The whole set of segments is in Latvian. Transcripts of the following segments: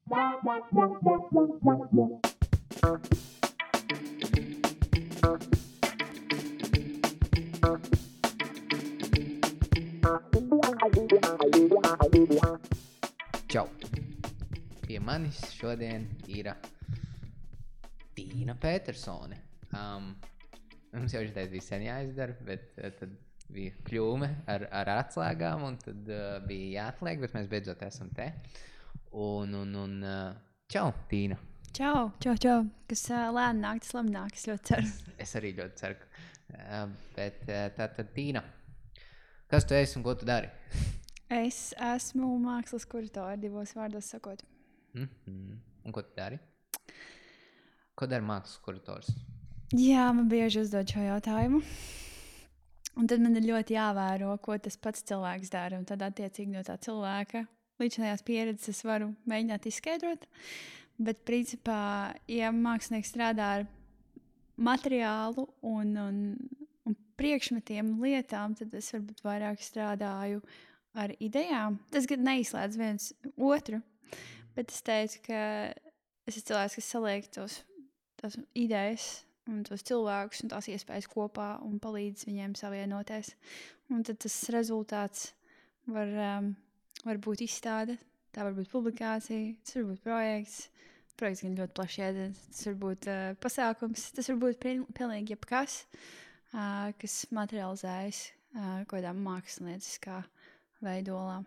Čau! Pie manis šodien ir Tīna Petersone. Mums jau šitais bija sen jāizdara, bet tad bija kļūme ar atslēgām, un tad bija jāatliek, bet mēs beidzot esam te. Čau, Tīna! Čau! Kas lēni nāk, tas labi nāk, es ļoti ceru. Es arī ļoti ceru. Bet tātad, Tīna, kas tu esi un ko tu dari? Es esmu mākslas kuratore, divos vārdos sakot. Un ko tu dari? Ko dara mākslas kurators? Jā, man bieži uzdod šo jautājumu. Un tad man ir ļoti jāvēro, ko tas pats cilvēks dara. Un tad attiecīgi no tā cilvēka līdzinājās pieredzes es varu mēģināt izskaidrot. Bet principā, ja mākslinieks strādā ar materiālu un priekšmetiem, lietām, tad es varbūt vairāk strādāju ar idejām. Tas gan neizslēdz viens otru, bet es teicu, ka es esmu cilvēks, kas saliek tās idejas un tos cilvēkus un tās iespējas kopā un palīdz viņiem savienoties. Un tad tas rezultāts var būt izstāde, tā var būt publikācija, tas var būt projekts. Projekts gan ļoti plaši jēdziens, tas var būt pasākums, tas var būt pilnīgi jebkas, kas materializējas kādā mākslinieckā veidolā.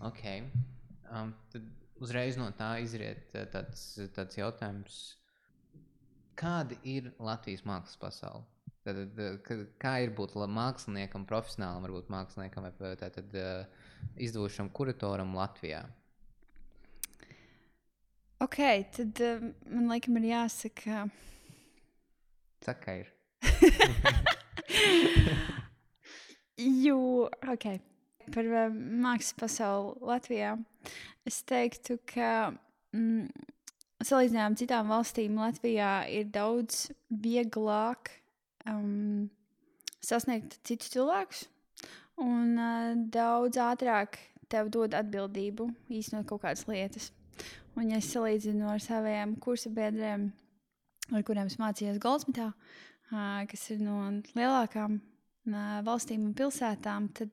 Ok. Tad uzreiz no tā izriet tāds jautājums. Kāda ir Latvijas mākslas pasaule? Kā ir būt māksliniekam, profesionālam, varbūt māksliniekam vai tātad izdevušam kuratoram Latvijā? Ok, tad man laikam ir jāsaka... Saka, ir. Ok. Par mākslas pasauli Latvijā es teiktu, ka salīdzinājumā citām valstīm Latvijā ir daudz vieglāk sasniegt citus cilvēkus un daudz ātrāk tev dod atbildību īstenot kaut kādas lietas. Un ja es salīdzinu ar saviem kursabiedriem, ar kuriem es mācījos Goldsmitā, kas ir no lielākām valstīm un pilsētām, tad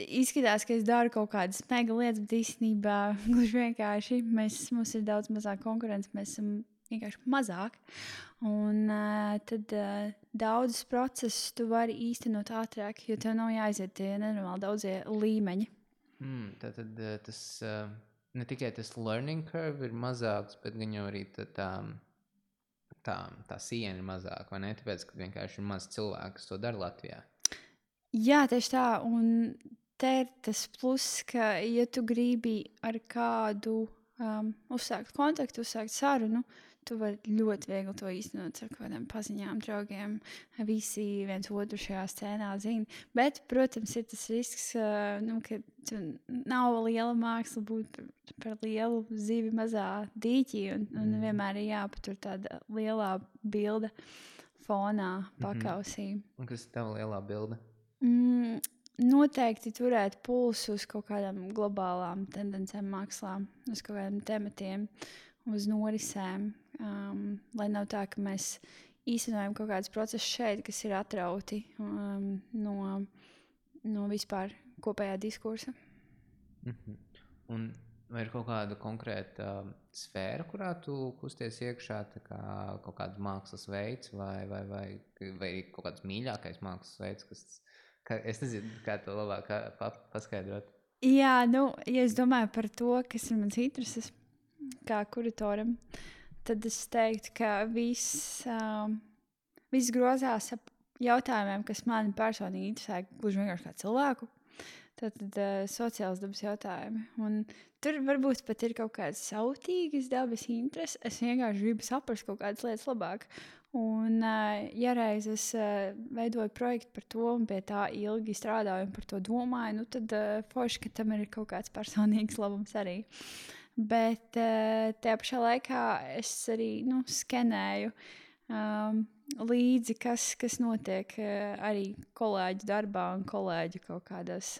izskatās, ka es daru kaut kādas mega lietas, bet īstenībā gluži vienkārši mums ir daudz mazāk konkurence, mēs esam vienkārši mazāk. Un tad daudzus procesus tu vari īstenot ātrāk, jo tev nav jāiziet tie nenormāli daudzie līmeņi. Tātad tas... Ne tikai tas learning curve ir mazāks, bet gan jau arī tā siena ir mazāka, vai ne? Tāpēc, ka vienkārši ir maz cilvēku, kas to dara Latvijā. Jā, tieši tā. Un te ir tas pluss, ka ja tu gribi ar kādu uzsākt kontaktu, uzsākt sarunu, tu vari ļoti viegli to īstenot ar kādiem paziņām, draugiem. Visi viens otru šajā scēnā zina. Bet, protams, ir tas risks, ka tu nav liela māksla būt par lielu zivi mazā dīķī. Un vienmēr ir jāpatur tāda lielā bilde fonā pakausī. Un kas ir tava lielā bilde? Noteikti turēt pulsu uz kaut kādām globālām tendencēm mākslā, uz kaut kādiem tematiem, uz norisēm, lai nav tā, ka mēs īstenojam kaut kādus procesus šeit, kas ir atrauti no vispār kopējā diskursa. Un vai ir kaut kāda konkrēta sfēra, kurā tu kusties iekšā, tā kā kaut kāds mākslas veids vai kaut kāds mīļākais mākslas veids, es nezinu, kā to labāk paskaidrot. Jā, ja es domāju par to, kas ir mans intereses kā kuratoram, tad es teiktu, ka viss grozās ap jautājumiem, kas mani personīgi interesē, gluži vienkārši kā cilvēku. Tātad sociāls dabas jautājumi. Un tur varbūt pat ir kaut kādas sautīgas dabas intereses. Es vienkārši gribu saprast kaut kādas lietas labāk. Un, ja reiz es veidoju projektu par to un pie tā ilgi strādāju un par to domāju, tad forši, ka tam ir kaut kāds personīgs labums arī. Bet tajā pašā laikā es arī skenēju līdzi, kas notiek arī kolēģu darbā un kolēģu kaut kādos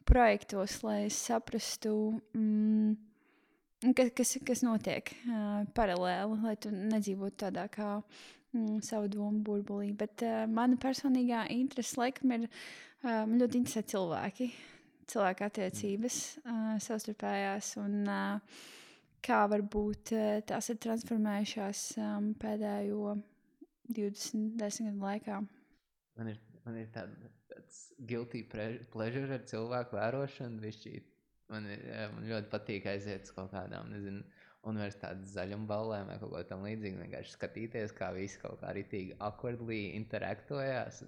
projektos, lai es saprastu, kas notiek paralēli, lai tu nedzīvotu tādā kā savu domu burbulī. Bet mana personīgā interese laikam ir, man ļoti interesē cilvēku attiecības savstarpējās un kā varbūt tās ir transformējušās pēdējo 20 gadu laikā. Man ir tāds guilty pleasure ar cilvēku vērošanu. Man ļoti patīk aiziet uz kaut kādām, nezinu, universitātes zaļumballēm vai kaut ko tam līdzīgi. Vienkārši skatīties, kā visi kaut kā ritīgi awkwardly interaktojās.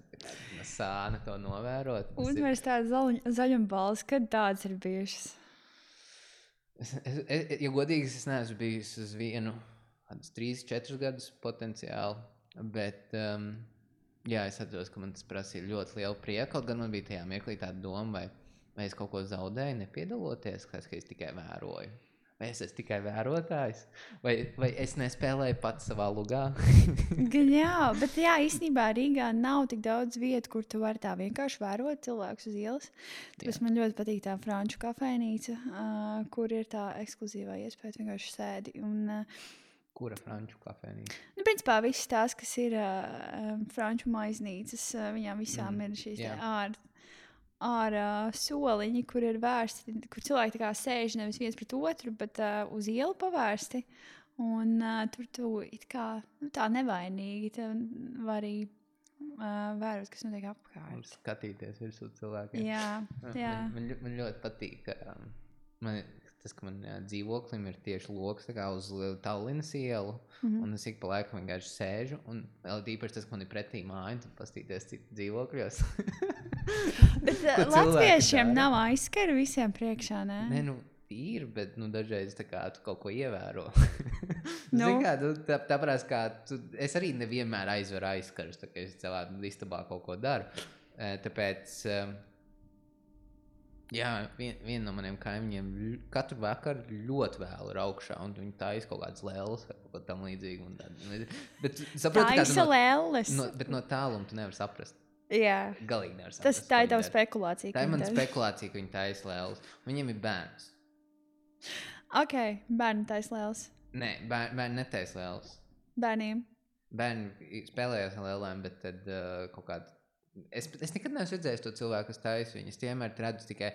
Sāna to novērot. Universitātes zaļumballes, kad tādas ir bijušas? Ja godīgi, es neesmu bijis uz vienu 3-4 gadus potenciāli, bet jā, es atceros, ka man tas prasīja ļoti lielu prieku, kaut gan man bija tajā mirklī tāda doma, vai es kaut ko zaudēju, nepiedaloties, ka es tikai vēroju. Vai es esmu tikai vērotājs? Vai es nespēlēju pats savā lugā? Jā, bet jā, īstenībā Rīgā nav tik daudz vietu, kur tu vari tā vienkārši vērot cilvēkus uz ielas. Tāpēc man ļoti patīk tā franču kafejnīca, kur ir tā ekskluzīvā iespēja vienkārši sēdi. Kura franču kafejnīca? Principā viss tās, kas ir franču maiznīcas, viņām visām ir šīs ārā soliņi, kur ir vērsti, kur cilvēki tā kā sēž nevis viens pret otru, bet uz ielu pavērsti. Un tur tu it kā tā nevainīgi var arī vērot, kas notiek apkārt. Un skatīties virsū cilvēkiem. Jā. Man ļoti patīk, tas, ka man dzīvoklim ir tieši loks tā kā uz Tallinas ielu, un es ik pa laikam vienkārši sēžu, un vēl īpaši tas, ka man ir pretī māja, tad pastīties citu dzīvokļos. Bet latviešiem nav aizskara visiem priekšā, ne? Nē, ir, bet dažreiz tā kā tu kaut ko ievēro. Tāpēc, kā es arī nevienmēr aizveru aizskarus, tā kā es savā istabā kaut ko daru. Tāpēc, jā, viena no maniem kaimiņiem katru vakaru ļoti vēl ir augšā, un viņi taisa kaut kādas lēles vai kaut ko tam līdzīgi. Bet saproti, taisa lēles? Bet no tāluma tu nevar saprast. Jā. Galīgi nevar saprast. Tā ir tava spekulācija. Tā ir mana spekulācija, ka viņi taisa lēles. Viņiem ir bērns. Ok, bērni taisa lēles. Nē, bērni netaisa lēles. Bērniem? Bērni spēlējās ar lēlēm, bet tad kaut kāda... Es nekad neesmu redzējis to cilvēku, kas taisa viņas. Vienmēr redzu tikai...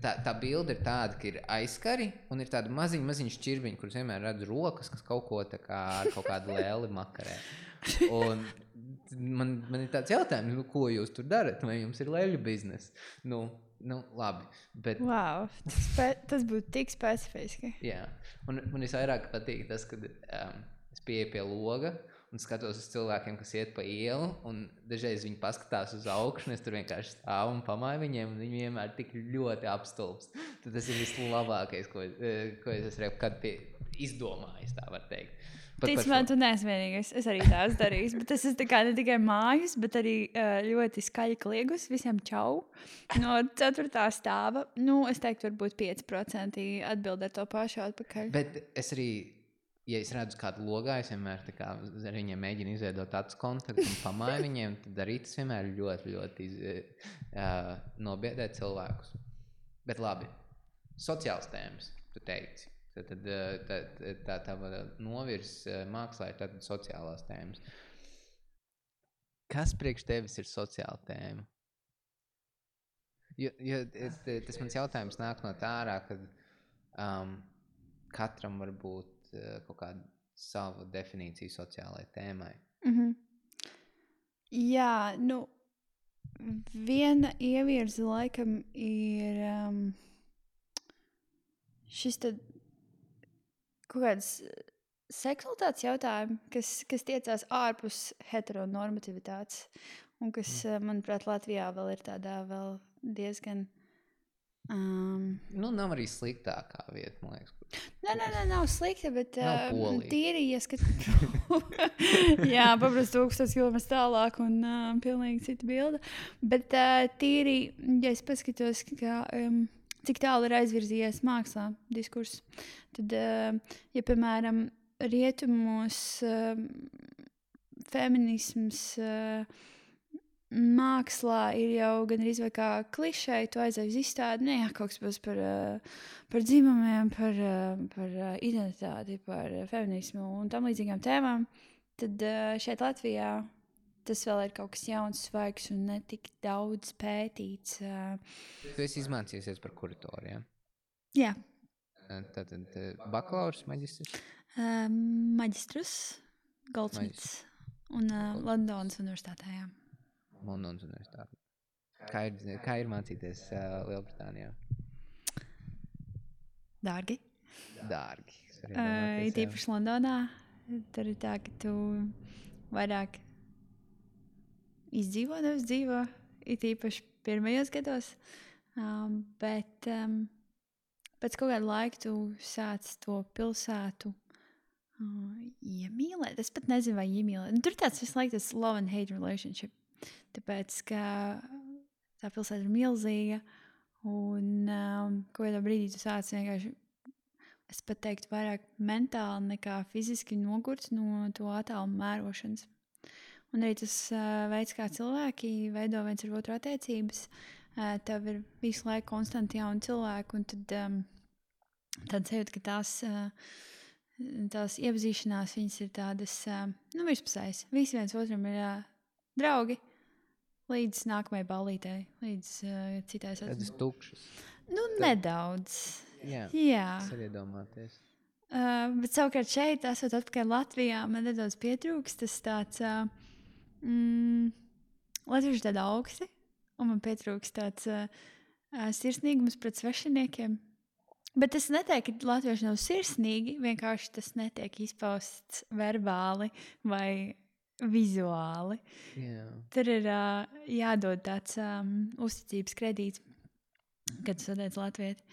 Tā bilde ir tāda, ka ir aizskari un ir tāda maziņa šķirbiņa, kuras vienmēr redzu rokas, kas kaut ko tā kā ar kaut kādu lēli makarē. Un man ir tāds jautājums, ko jūs tur darat? Vai jums ir lēļu biznesa? Labi. Bet... Wow, tas būtu tik specifiski. Jā, un man visvairāk patīk tas, kad es pieeju pie loga un skatos uz cilvēkiem, kas iet pa ielu, un dažreiz viņi paskatās uz augšu, un es tur vienkārši stāvu un pamāju viņiem, un viņi vienmēr tik ļoti apstulbs. Tad tas ir vislabākais, ko es esmu kad izdomājis, tā var teikt. Tic man, tu neesi vienīgais. Es arī tās darīju, bet tas ir tā kā ne tikai mājas, bet arī ļoti skaļi kliegus. Visiem čau. No 4. stāva, es teiktu, varbūt 5% atbild ar to pašu atpakaļ. Bet es arī, ja es redzu kādu logā, es vienmēr tā kā ar viņiem mēģinu izveidot acu kontaktu un pamāju viņiem, tad arī tas vienmēr ļoti, ļoti nobiedē cilvēkus. Bet labi, sociāls tēmas, tu teici. Tad tā novirs mākslā ir tātad sociālās tēmas. Kas priekš tevis ir sociāla tēma? Jo tas mans jautājums nāk no tā ārā, ka katram var būt kaut kāda sava definīcija sociālai tēmai. Jā, viena ievirza laikam ir šis tad kaut kāds seksualitātes jautājumi, kas tiecās ārpus heteronormativitātes un kas, manuprāt, Latvijā vēl ir tādā vēl diezgan... Nav arī sliktākā vieta, man liekas. Nē, nav slikta, bet tīri ieskat. Jā, paprasti 1000 km tālāk un pilnīgi cita bilde. Bet tīri, ja es paskatos, ka... cik tālu ir aizvirzījies mākslā diskurss. Tad, ja, piemēram, rietumos feminisms mākslā ir jau gandrīz vai kā klišeja, tu aizej uz izstādi, ne, jā, kaut kas būs par dzimumiem, par identitāti, par feminismu un tam līdzīgām tēmām, tad šeit Latvijā tas vēl ir kaut kas jauns, svaigs un ne tik daudz pētīts. Tu esi izmācījusies par kuratoru, ja? Jā. Tātad bakalaurs, maģistrs? Maģistrus, Goldsmiths un Londonas universitātē, jā. Londonas universitāte. Kā ir mācīties Lielbritānijā? Dārgi. Dārgi. Ir īpaši Londonā. Tur ir tā, ka tu vairāk izdzīvo, nevis dzīvo. Ir īpaši pirmajos gados. Bet pēc kaut kāda laika tu sāc to pilsētu iemīlēt. Es pat nezinu, vai iemīlēt. Tur tāds visu laiku tas love and hate relationship. Tāpēc, ka tā pilsēta ir milzīga un kaut kādā brīdī tu sāc vienkārši, es pat teiktu, vairāk mentāli nekā fiziski nogurts no to attālumu mērošanas. Un arī tas veids, kā cilvēki veido viens ar otru attiecības, tev ir visu laiku konstanti jauni cilvēki, un tad sajūt, ka tās iepazīšanās, viņas ir tādas, virspusējas. Visi viens otram ir draugi. Līdz nākamajai ballītei, līdz citai sacībai. Tādas tukšas. Nedaudz. Jā. Tas ir iedomāties. Bet savukārt šeit, esot atpakaļ Latvijā, man nedaudz pietrūkst tas tāds, latvieši tādi augsti, un man pietrūkst tāds sirsnīgums pret svešiniekiem. Bet es neteiktu, ka latvieši nav sirsnīgi, vienkārši tas netiek izpausts verbāli vai vizuāli. Jā. Tur ir jādod tāds uzticības kredīts, kad tu satiec latvieti,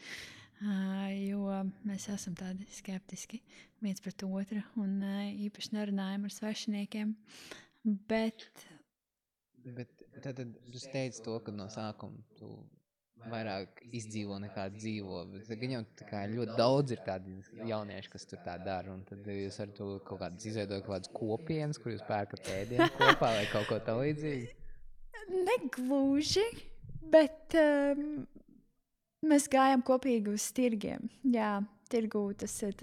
jo mēs esam tādi skeptiski viens pret otru un īpaši nerunājam ar svešiniekiem. Bet tad tu teici to, ka no sākuma tu vairāk izdzīvo nekā dzīvo. Bet gan jau ļoti daudz ir tādi jaunieši, kas tur tā dara. Un tad jūs ar to kaut kādas izveidojat kaut kādas kopienas, kur jūs pērkat ēdienu kopā vai kaut ko tam līdzīgi? Negluži, bet mēs gājām kopīgi uz tirgiem. Jā, tirgū tas ir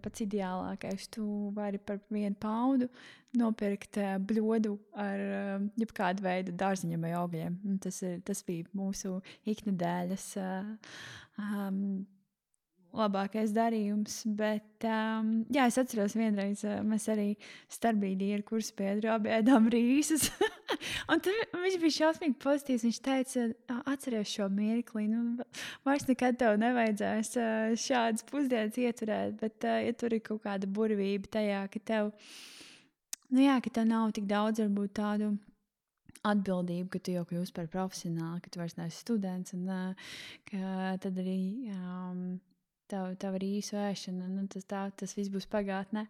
pats ideālākais. Tu vari par £1 nopirkt bļodu ar jebkādu veidu dārziņiem vai augļiem. Tas bija mūsu iknedēļas labākais darījums. Bet, jā, es atceros vienreiz, mēs arī starpbrīdī ar kursabiedru abi ēdām rīsus. Un tur viņš bija šausmīgi pozitīvs. Viņš teica, atceries šo mirkli. Vairs nekad tev nevajadzēs šādas pusdienas ieturēt. Bet, ja tur ir kaut kāda burvība tajā, ka tev, ka tev nav tik daudz varbūt tādu atbildību, ka tu jau kļūsi par profesionāli, ka tu vairs neesi students. Un ka tad arī tev ir īsu ēšana. Tas viss būs pagātnē.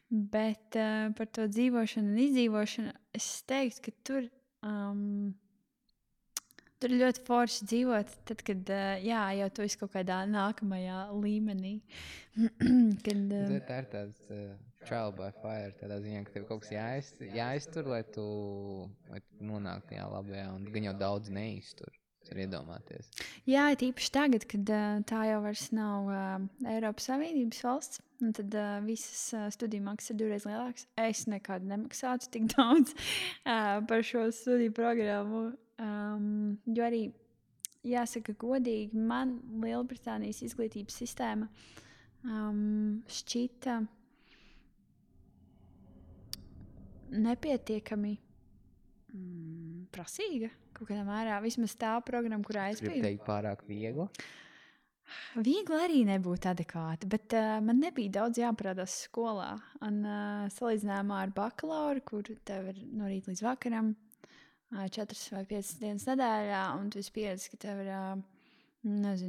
Bet par to dzīvošanu un izdzīvošanu es teiktu, ka tur ir ļoti forši dzīvot, tad, kad jau tu esi kaut kādā nākamajā līmenī. Tā ir tāds trial by fire, tādā ziņā, ka tev kaut kas jāiztur, lai tu nonāktu tajā labajā, un gan jau daudz neiztur. Tas ir iedomāties. Jā, tīpaši tagad, kad tā jau vairs nav Eiropas Savienības valsts, un tad visas studiju maksas ir 2 reizes lielākas. Es nekad nemaksātu tik daudz par šo studiju programmu, jo arī, jāsaka godīgi, man Lielbritānijas izglītības sistēma šķita nepietiekami prasīga. Kaut kādā mērā, vismaz tā programma, kurā es biju. Gribu teikt pārāk viegli? Viegli arī nebūtu adekvāti, bet man nebija daudz jāparādās skolā. Un salīdzinājumā ar bakalauru, kur tev ir no rīta līdz vakaram 4 vai 5 dienas nedēļā, un tu esi pieredzis, ka tev ir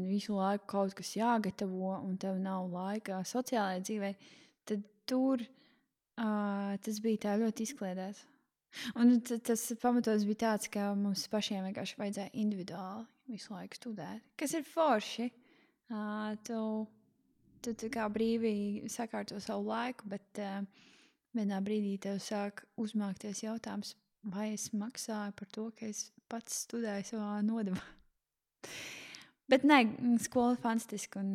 visu laiku kaut kas jāgatavo, un tev nav laika sociālajai dzīvei, tad tur tas bija tā ļoti izkliedēts. Un tas pamatos bija tāds, ka mums pašiem vienkārši vajadzēja individuāli visu laiku studēt, kas ir forši. Tu kā brīvi sakārto savu laiku, bet vienā brīdī tev sāk uzmākties jautājums, vai es maksāju par to, ka es pats studēju savā nodevā. Bet nē, skola fantastiska un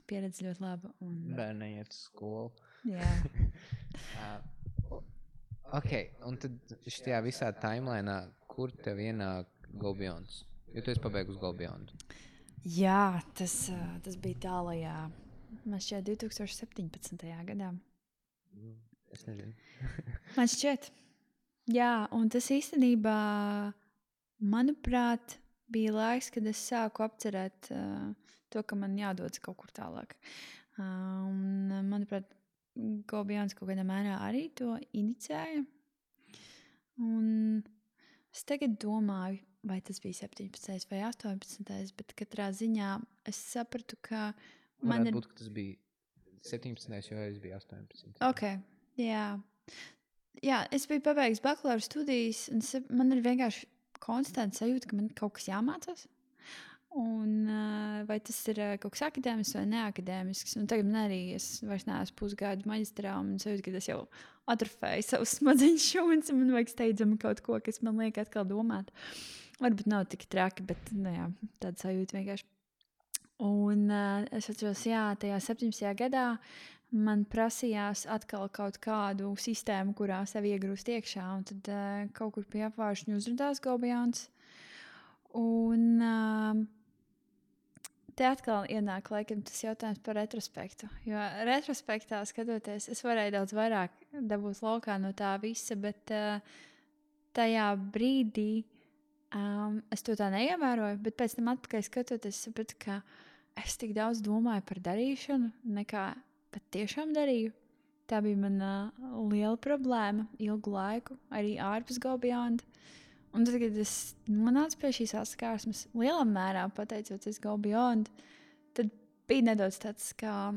pieredze ļoti laba. Bērni iet uz skolu. Jā. Ok, un tad šajā visā timelīnā, kur tev ienāk Go Beyond? Jo tu esi pabeigusi Go Beyond. Jā, tas bija tālajā, man šķiet, 2017. gadā. Es nezinu. Man šķiet, jā, un tas īstenībā, manuprāt, bija laiks, kad es sāku apcerēt to, ka man jādodas kaut kur tālāk. Un, manuprāt, Go Beyond kaut kādā mērā arī to inicēja. Un es tagad domāju, vai tas bija 17. vai 18. bet katrā ziņā es sapratu, ka man Varētu būt, ka tas bija 17. jo es biju 18. Ok, jā. Jā, es biju pabeigusi bakalaura studijas, un man ir vienkārši konstants sajūta, ka man kaut kas jāmācās. Un, vai tas ir kaut kas akadēmisks vai neakadēmisks. Un tagad man arī es vairs neesmu pusgadu maģistrā, un es jūtu, ka es jau atrofēju savus smadzeņu šūnas, un man vajag steidzami kaut ko, kas man liek atkal domāt. Varbūt nav tik traki, bet jā, tāda sajūta vienkārši. Un es atceros, jā, tajā 17. gadā man prasījās atkal kaut kādu sistēmu, kurā sev iegrūst iekšā, un tad kaut kur pie apvāršņu uzrādās Go Beyond. Un te atkal ienāk laikam tas jautājums par retrospektu. Jo retrospektā skatoties, es varēju daudz vairāk dabūt laukā no tā visa, bet tajā brīdī es to tā neievēroju, bet pēc tam atpakaļ skatoties, sapratu, ka es tik daudz domāju par darīšanu, nekā pat tiešām darīju. Tā bija mana liela problēma ilgu laiku, arī ārpus Go Beyond. Un tad, kad es nonācu pie šīs saskarsmes, lielā mērā pateicoties Go Beyond, tad bija nedaudz tāds kā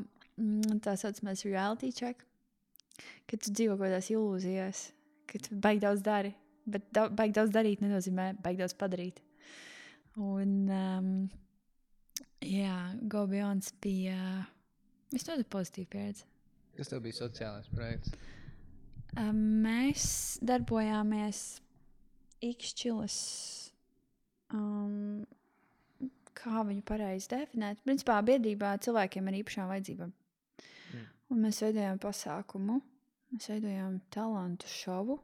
tā saucamais reality check, kad tu dzīvo kaut kādās ilūzijās, ka tu baigi daudz dari, bet baigi daudz darīt nenozīmē baigi daudz padarīt. Un jā, Go Beyond bija visnotaļ pozitīva pieredze. Kas tev bija sociālais projekts? Mēs darbojāmies Ikšķilas, kā viņu pareizi definēt, principā biedrībā cilvēkiem ar īpašām vajadzībām. Un mēs veidojām pasākumu, mēs veidojām talantu šovu,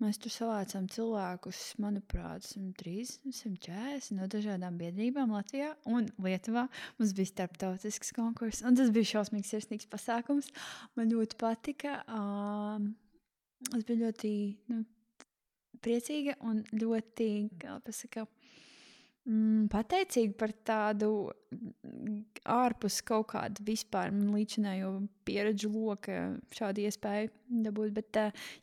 mēs tur savācām cilvēkus, manuprāt, 130, 140 no dažādām biedrībām Latvijā un Lietuvā. Mums bija starptautisks konkurss, un tas bija šausmīgs sirsnīgs pasākums. Man ļoti patika. Es biju ļoti priecīga un ļoti, kā pasaka, pateicīga par tādu ārpus kaut kādu vispār līdzinējo pieredžu loka šādu iespēju dabūt. Bet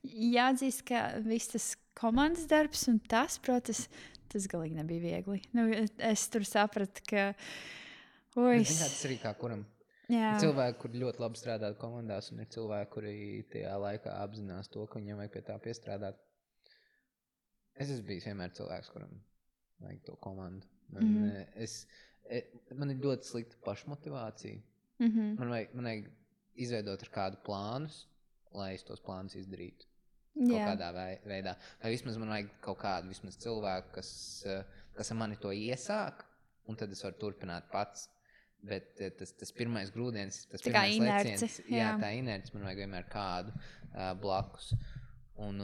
jāatzīst, ka viss tas komandas darbs un tas, protams, tas galīgi nebija viegli. Es tur sapratu, ka Tas arī kā kuram. Jā. Ir cilvēki, kuri ļoti labi strādā komandās, un ir cilvēki, kuri tajā laikā apzinās to, ka viņiem vajag pie tā piestrādāt. Es esmu bijis vienmēr cilvēks, kuram vajag to komandu. Man ir ļoti slikta pašmotivācija. Man vajag izveidot ar kādu plānus, lai es tos plānus izdarītu. Kaut kādā veidā. Vai vismaz man vajag kaut kādu cilvēku, kas ar mani to iesāk, un tad es varu turpināt pats. Bet tas pirmais grūdienis, tas tā pirmais leciens, tā inerce, man vajag vienmēr kādu blakus. Un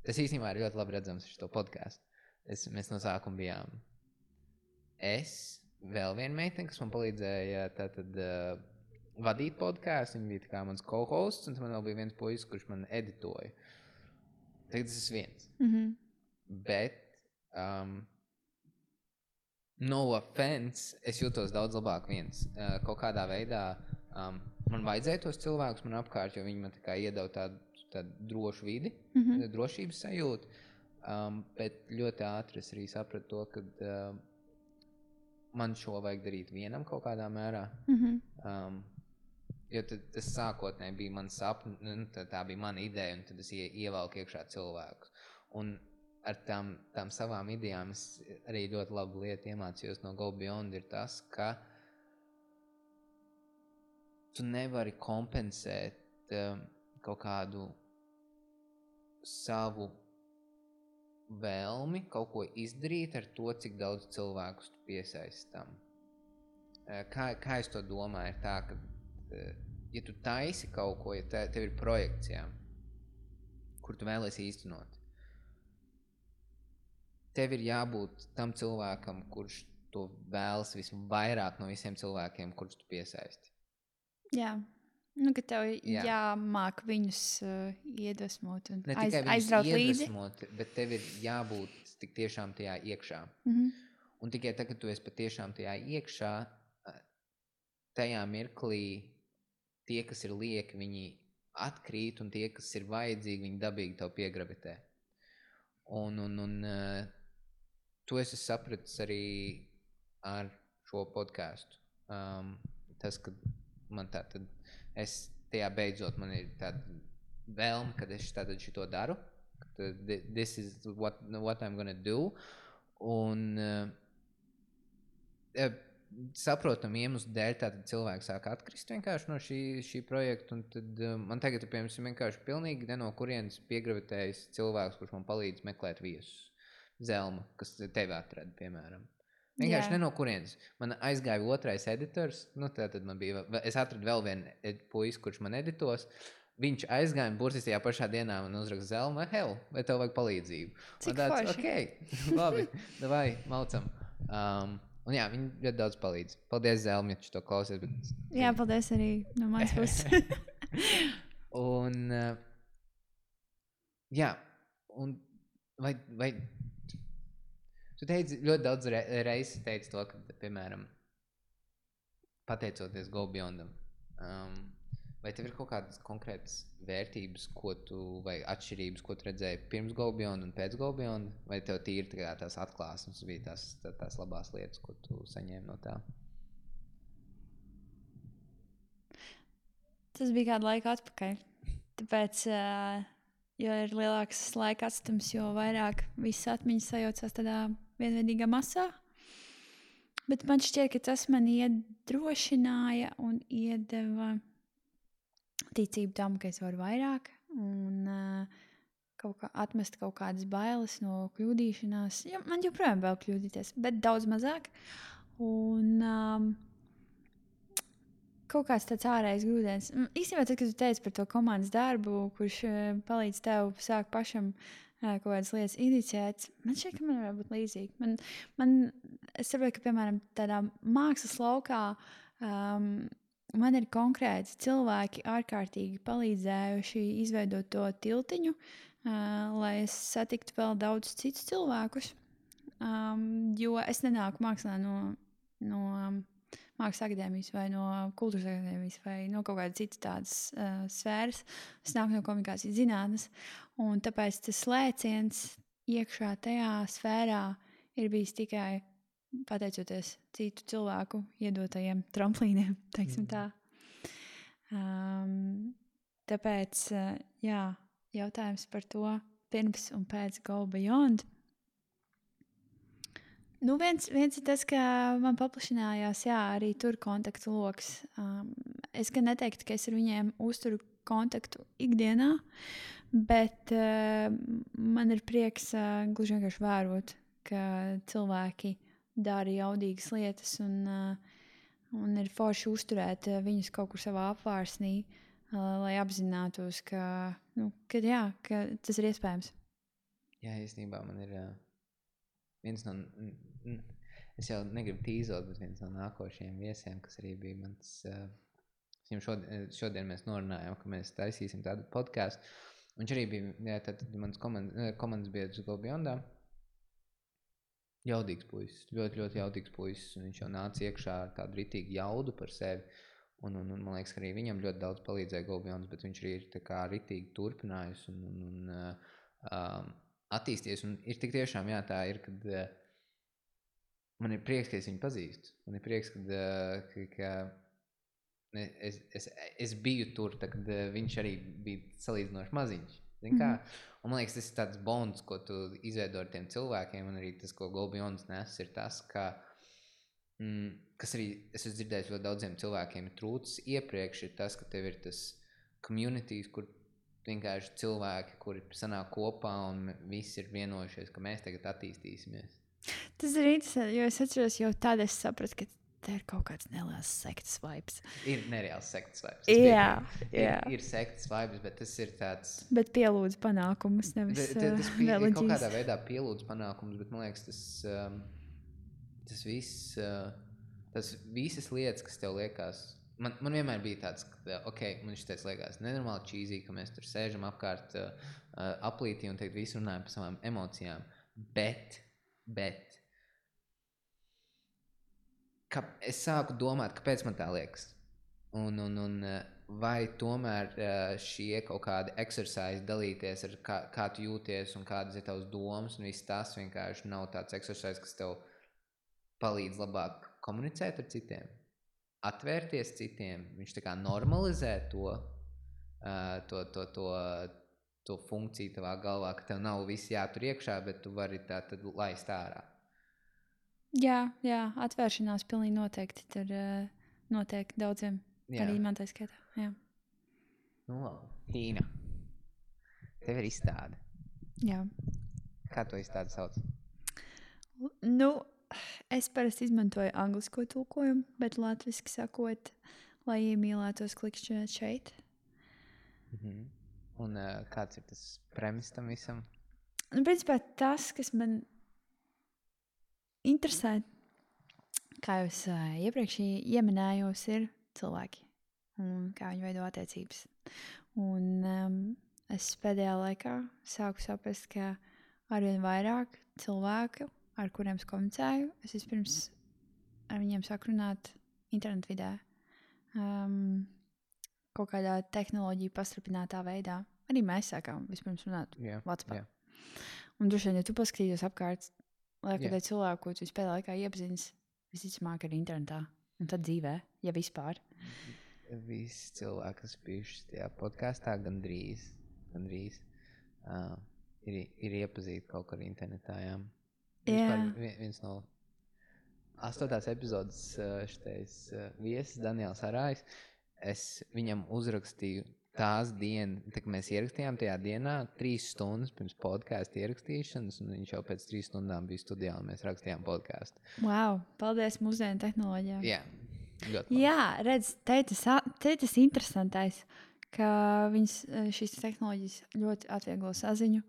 tas īstenībā ir ļoti labi redzams šo podcastu. Mēs no sākuma bijām vēl viena meitene, kas man palīdzēja vadīt podcastu. Viņa bija tā kā mans co-hosts, un man vēl bija viens puisis, kurš man editoja. Tagad tas ir viens. Bet no offense, es jūtos daudz labāk viens. Kaut kādā veidā man vajadzēja tos cilvēkus man apkārt, jo viņi man tā kā iedeva tādu drošu vidi, drošības sajūtu. Bet ļoti ātri es arī sapratu to, ka man šo vajag darīt vienam kaut kādā mērā. Jo tas sākotnēji bija mans sapnis, tā bija mana ideja, un tad es ievelku iekšā cilvēkus. Un ar tām savām idejām es arī ļoti labu lietu iemācījos no Go Beyond ir tas, ka tu nevari kompensēt kaut kādu savu vēlmi kaut ko izdarīt ar to, cik daudz cilvēkus tu piesaisti tam. Kā es to domāju, ir tā, ka, ja tu taisi kaut ko, ja tev ir projekts, jā, kur tu vēlies īstenot, tev ir jābūt tam cilvēkam, kurš to vēlas visvairāk no visiem cilvēkiem, kurus tu piesaisti. Jā. Nu, ka tev jāmāk viņus iedvesmot un ne tikai aizraut līdzi. Bet tev ir jābūt tik tiešām tajā iekšā. Un tikai tad, kad tu esi patiešām tajā iekšā, tajā mirklī tie, kas ir lieki, viņi atkrīt, un tie, kas ir vajadzīgi, viņi dabīgi tev piegravitē. Un to es sapratis arī ar šo podcastu. Tas, ka man tātad es tajā beidzot, man ir tāda vēlme, kad es tātad šito daru. This is what I'm gonna do. Un saprotam iemeslu dēļ tātad cilvēki sāk atkrist vienkārši no šī projekta. Un tad man tagad, piemēram, vienkārši pilnīgi ne no kurienes piegravitējis cilvēks, kurš man palīdz meklēt viesus. Zelma, kas tevi atrada, piemēram. Vienkārši ne no kurienes. Man aizgāja otrais editors, tātad es atradu vēl vienu puisi, kurš man editos. Viņš aizgāja un burtiski tajā pašā dienā man uzraksta Zelma, vai tev vajag palīdzību? Cik forši. Ok, labi, davai, maucam. Un jā, viņi ļoti daudz palīdz. Paldies, Zelma, ja tu to klausies. Bet... Jā, paldies arī no manas puses. Un, jā, un vai tu teici, ļoti daudz reizes teici to, ka, piemēram, pateicoties Go Beyondam, vai tev ir kaut kādas konkrētas vērtības, vai atšķirības, ko tu redzēji pirms Go Beyond un pēc Go Beyond, vai tev tīri tās atklāsmes bija tās labās lietas, ko tu saņēmi no tā? Tas bija kādu laiku atpakaļ. Tāpēc, jo ir lielāks laika atstums, jo vairāk visas atmiņas sajaucās tādā vienveidīgā masā. Bet man šķiet, ka tas man iedrošināja un iedeva ticību tam, ka es varu vairāk un atmest kaut kādas bailes no kļūdīšanās. Ja, man joprojām vēl kļūdīties, bet daudz mazāk. Un kaut kāds tāds ārējais grūdienis. Īstenībā, tad, kad tu teici par to komandas darbu, kurš palīdz tev sākt pašam kaut kādas lietas iniciēt, man šķiet, ka man var būt līdzīgi. Es saprotu, ka, piemēram, tādā mākslas laukā man ir konkrēti cilvēki ārkārtīgi palīdzējuši izveidot to tiltiņu, lai es satiktu vēl daudz citus cilvēkus, jo es nenāku mākslā no Mākslas akadēmijas vai no kultūras akadēmijas vai no kaut kādas citas tādas sfēras. Es nāku no komunikācijas zinātnes, un tāpēc tas lēciens iekšā tajā sfērā ir bijis tikai pateicoties citu cilvēku iedotajiem tramplīniem, teiksim tā. Tāpēc, jā, jautājums par to pirms un pēc Go Beyond. Nu, viens ir tas, ka man paplašinājās, jā, arī tur kontaktu loks. Es gan neteiktu, ka es ar viņiem uzturu kontaktu ikdienā, bet man ir prieks gluži vienkārši vērot, ka cilvēki dara jaudīgas lietas un ir forši uzturēt viņus kaut kur savā apvārsnī, lai apzinātos, ka tas ir iespējams. Jā, īstenībā man ir viens no, es jau negribu tīzot, bet viens no nākošajiem viesiem, kas arī bija mans, šodien mēs norunājām, ka mēs taisīsim tādu podcastu. Viņš arī bija, tad mans komandas biedrs Go Beyondā. Jaudīgs puisis, ļoti, ļoti jaudīgs puisis, un viņš jau nāca iekšā ar tādu ritīgu jaudu par sevi, un man liekas, ka arī viņam ļoti daudz palīdzēja Go Beyonds, bet viņš arī ir tā kā ritīgi turpinājis un attīsties, un ir tik tiešām, jā, tā ir, kad man ir prieks, ka es viņu pazīstu. Man ir prieks, ka es biju tur, tad, kad viņš arī bija salīdzinoši maziņš. Kā? Un man liekas, tas ir tāds bonds, ko tu izveido ar tiem cilvēkiem, un arī tas, ko Go Beyond nes, ir tas, kas arī, es esmu dzirdējis ļoti daudziem cilvēkiem trūcis iepriekš, ir tas, ka tev ir tas communities, kur vienkārši cilvēki, kuri sanāk kopā un visi ir vienojušies, ka mēs tagad attīstīsimies. Tas ir interesanti, jo es atceros, jau tad es sapratu, ka te ir kaut kāds neliels sektas vibes. Ir nereāls sektas vibes. Jā. Ir sektas vibes, bet tas ir tāds... Bet pielūdz panākumus, nevis Tas ir kaut kādā veidā pielūdz panākumus, bet man liekas, tas viss, tas visas lietas, kas tev liekas... Man vienmēr bija tāds, ka, man šis liekas nenormāli cheesy, ka mēs tur sēžam apkārt aplītī un teikt visu runājam par savām emocijām, bet es sāku domāt, kāpēc man tā liekas. Un vai tomēr šie kaut kādi exercise dalīties ar kā tu jūties un kādas ir tavas domas un viss tas vienkārši nav tāds exercise, kas tev palīdz labāk komunicēt ar citiem, atvērties citiem, viņš tā kā normalizē to funkciju tavā galvā, ka tev nav viss jātur iekšā, bet tu vari tā tad laist ārā. Jā, atvēršanās pilnīgi noteikti tur notiek daudziem, arī man tā skaitā. Jā. Nu, labi. Tīna, tev ir izstāde. Jā. Kā to izstādi sauc? Nu, es parasti izmantoju anglisko tulkojumu, bet latviski sakot, lai iemīlētos klikšķināt šeit. Un kāds ir tas premis tam visam? Nu, principā tas, kas man interesē, kā jūs iepriekš ieminējos, ir cilvēki un kā viņi veido attiecības. Un es pēdējā laikā sāku saprast, ka arvien vairāk cilvēku, ar kuriem es komunicēju, es vispirms ar viņiem sāku runāt internetu vidē. Kaut kādā tehnoloģiju pastrupinātā veidā. Arī mēs sākām vispirms runāt WhatsApp. Un droši vien, ja tu paskatījies apkārt, liekot cilvēku, ko tu vispēdā laikā iepazīstis, visticamāk arī internetā. Un tad dzīvē, ja vispār. Visi cilvēki, kas bijuši tajā podkāstā, gandrīz ir iepazīti kaut kur internetā. Viens no 8. epizodes šitais viesis Daniels Arājs, es viņam uzrakstīju tās dienas, kad mēs ierakstījām tajā dienā 3 stundas pirms podkāsta ierakstīšanas, un viņš jau pēc 3 stundām bija studijā, un mēs rakstījām podkāstu. Wow, paldies mūsdienu tehnoloģijām. Jā, ļoti labi. Jā, redz, te tas interesantais, ka šīs tehnoloģijas ļoti atvieglo saziņu.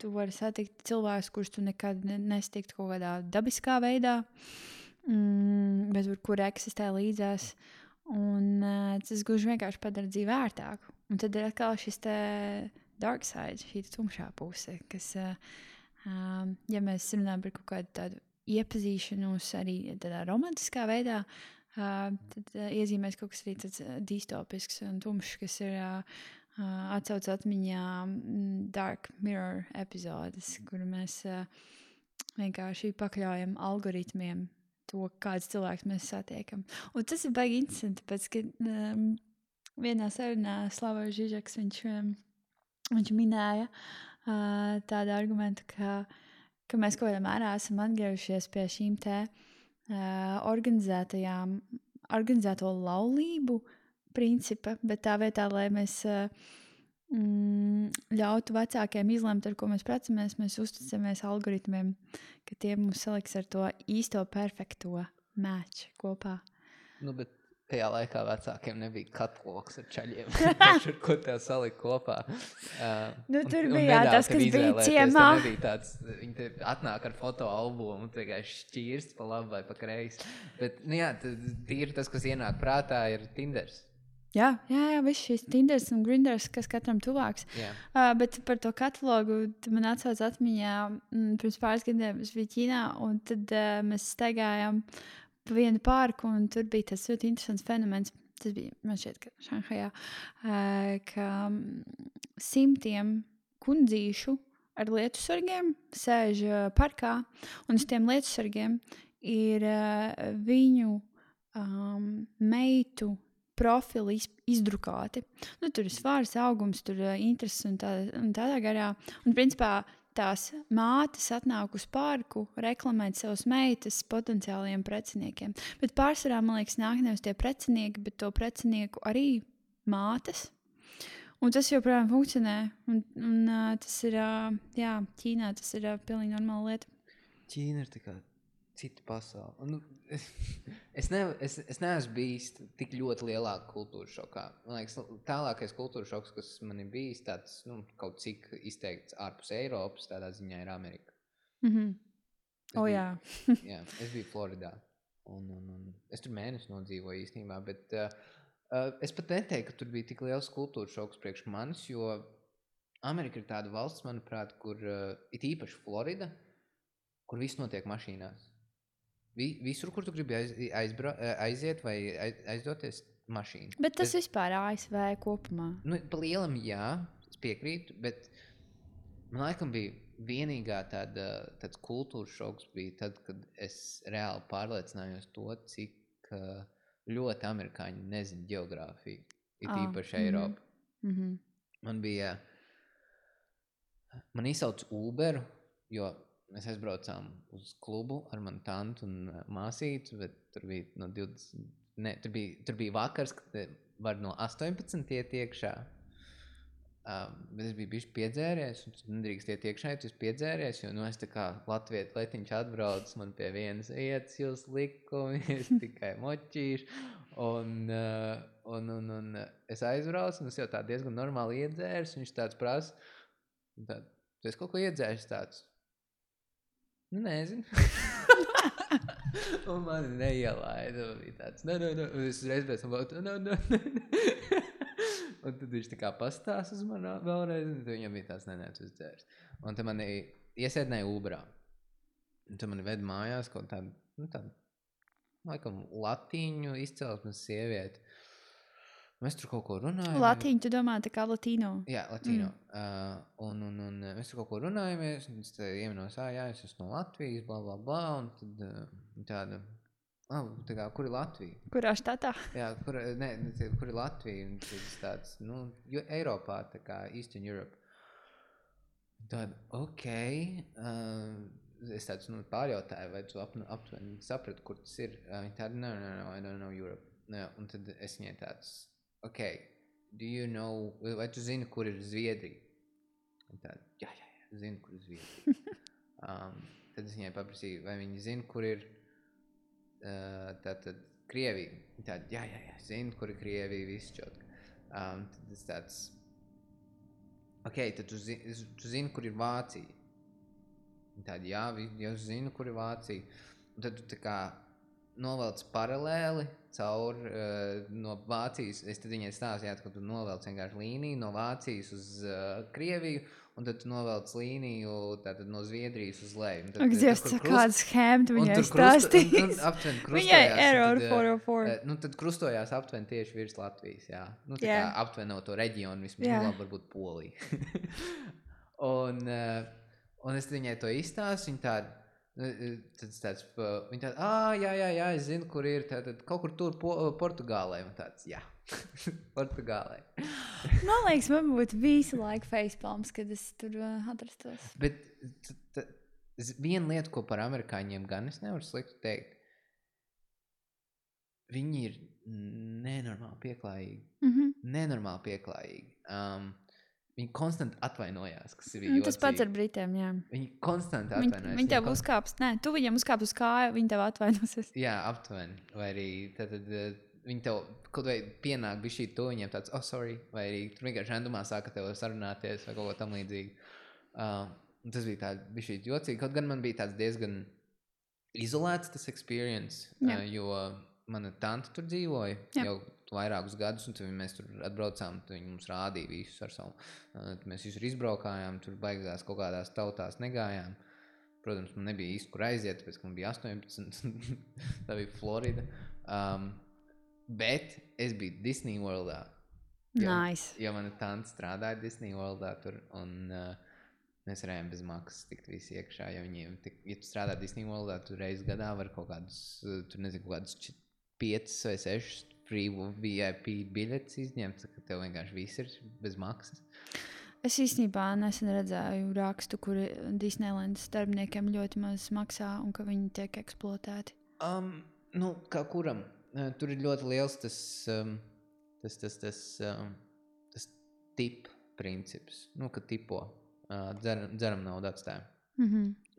Tu vari satikt cilvēkus, kurus tu nekad nesatikt kaut kādā dabiskā veidā, bet kur eksistē līdzās. Un tas gluži vienkārši padara dzīvi ērtāku. Un tad ir atkal šis te dark side, šī tumšā puse, kas, ja mēs runājam par kaut kādu tādu iepazīšanos arī tādā romantiskā veidā, tad iezīmēs kaut kas arī tāds distopisks un tumšs, kas ir atsauc atmiņā Dark Mirror epizodes, kur mēs vienkārši pakļaujam algoritmiem to, kāds cilvēks mēs satiekam. Un tas ir baigi interesanti, tāpēc, ka vienā sarunā Slavojs Žižeks, viņš minēja tādu argumentu, ka mēs kaut kādā mērā esam atgriežušies pie šīm te organizēto laulību principa, bet tā vietā, lai mēs ļautu vecākiem izlemt, ar ko mēs precamies, mēs uzticamies algoritmiem, ka tie mums saliks ar to īsto perfekto match kopā. Nu, bet tajā laikā vecākiem nebija katloks ar čaļiem, ko tev salika kopā. Tur bija tas, kas bija ciemā. Viņi te atnāk ar fotoalbumu un vienkārši šķīrst pa labi vai pa kreisi. Bet, tīri tas, kas ienāk prātā, ir Tinders. Jā, viss šīs Tinders un Grinders, kas katram tuvāks. Bet par to katalogu man atsauc atmiņā, pirms pāris gadiem es biju Ķīnā, un tad mēs staigājām pa vienu parku, un tur bija tas ļoti interesants fenomens. Tas bija, man šķiet, ka Šanhajā, ka simtiem kundzīšu ar lietusargiem sēž parkā, un uz tiem lietusargiem ir viņu meitu profili izdrukāti. Tur ir svārs augums, tur intereses un tādā garā. Un principā tās mātes atnāk uz parku reklamēt savas meitas potenciālajiem preciniekiem. Bet pārsvarā, man liekas, nāk nevis tie precinieki, bet to precinieku arī mātes. Un tas joprojām funkcionē. Un tas ir, jā, Ķīnā tas ir pilnīgi normāla lieta. Ķīna ir tā kā cita pasaule. Nu, es neesmu bijis tik ļoti lielā kultūra šokā. Man liekas, tālākais kultūra šoks, kas man ir bijis tāds, kaut cik izteikts ārpus Eiropas, tādā ziņā ir Amerika. Jā. Jā, es biju Floridā. Un es tur mēnesi nodzīvoju īstenībā, bet es pat neteiktu, ka tur bija tik liels kultūra šoks priekš manis, jo Amerika ir tāda valsts, manuprāt, kur it īpaši Florida, kur viss notiek mašīnās. Visur, kur tu gribi aiziet vai aizdoties mašīnu. Bet tas vispār ASV kopumā. Pa lielam jā, es piekrītu, bet man laikam bija vienīgā tāds kultūras šoks bija tad, kad es reāli pārliecinājos to, cik ļoti amerikāņi nezina ģeogrāfiju, it īpaši Eiropu. Man izsauca Uberu, jo mēs aizbraucām uz klubu ar manu tantu un māsītu, bet tur bija no 20, tur bija vakars, kad var no 18 iet iekšā. Bet es biju bišķi piedzēries, un tu nedrīkst iet iekšā, ja tu esi piedzēries, jo es tā kā Latvijas letiņš atbrauc, man pie vienas vietas jūs likumi, es tikai moķīšu, un es aizbraucu, un es jau tā diezgan normāli iedzērs, un viņš tāds prasa, tu esi kaut ko iedzēris tāds? Nezinu. Un mani neielaida, un bija tāds, un es uzreiz pēc tam, un tad viņš tā kā pastās uz mani vēlreiz, un tad viņam bija tāds, tu esi dzērs. Un tad mani iesēdināja Uberā. Un tad mani ved mājās kaut tādu, laikam, latīņu izcelsmes sievieti. Mēs tur kaut ko runājam. Latīņu, tu domā, tā kā latīno? Jā, latīno. Un mēs tur kaut ko runājamies, un es ieminos, jā, es esmu no Latvijas, bla, bla, bla, un tad tāda, tā kā, kur ir Latvija? Kurā štatā? Jā, kur ir Latvija? Un tas tāds, Eiropā, tā kā Eastern Europe. Tāda, es tāds, pārjautāju, vai tu aptuveni saprati, kur tas ir. Viņa tāda, no, I don't know Europe. Un tad es viņai tāds, do you know, vai tu zini, kur ir Zviedrija? Un tāda, jā, zinu, kur ir Zviedrija. Tad es viņai paprasīju, vai viņi zina, kur ir tātad Krievija. Tāda, jā, zinu, kur ir Krievija, viss čotki. Tad es tāds, tad tu zini, kur ir Vācija. Tāda, jā, jau zinu, kur ir Vācija. Un tad tu tā kā novelc paralēli caur no Vācijas, es tad viņai stāstu, ka tu novelc vienkārši līniju no Vācijas uz Krieviju, un tad tu novelc līniju tātad no Zviedrijas uz leju. Ak, Dievs, kāda schēma tu viņai stāstīs. Viņai error 404. Tad krustojās aptuveni tieši virs Latvijas, jā. Tā kā aptuveni no to reģionu, vismaz varbūt Polija. Un es viņai to izstāstu, viņa tāda, viņa tāda, jā, es zinu, kur ir, tātad kaut kur tur Portugālē, un tāds, jā, Portugālē. Man liekas, man būtu visu laiku facepalms, kad es tur atrastos. Bet viena lieta, ko par amerikāņiem gan es nevaru slikti teikt, viņi ir nenormāli pieklājīgi. Viņi konstanti atvainojās, kas ir jocīgi. Tas pats ar Britiem, jā. Viņi konstanti atvainojās. Viņi tev uzkāps, tu viņam uzkāps uz kāju, viņi tev atvainosies. Jā, aptuveni. Vai arī tad viņi tev kaut vai pienāk bišķī to, viņiem tāds, sorry, vai arī tur vienkārši randumā sāka tev sarunāties vai kaut ko tam līdzīgi. Tas bija tā bišķī jocīgi. Kaut gan man bija tāds diezgan izolēts tas experience, jo mana tante tur dzīvoja jau vairākus gadus, un tad mēs tur atbraucām, tad viņi mums rādīja visus ar savu. Mēs visur izbraukājām, tur baigās kaut kādās tautās negājām. Protams, man nebija īsti, kur aiziet, tāpēc, ka man bija 18, tā bija Florida. Bet es biju Disney Worldā. Nice. Jo mana tante strādāja Disney Worldā tur, un mēs varējām bez maksas tikt visi iekšā, jo viņiem, ja tu strādā Disney Worldā, tu reiz gadā var kaut kādus, tur nezinu, kaut kādus 5 vai 6 free VIP biļetes izņemt, ka tev vienkārši viss ir bez maksas. Es īstenībā nesen redzēju rakstu, kur Disneylandas darbiniekiem ļoti maz maksā un ka viņi tiek eksploatēti. Kā kuram? Tur ir ļoti liels tas tipu princips. Ka tipo dzeram naudu atstājam.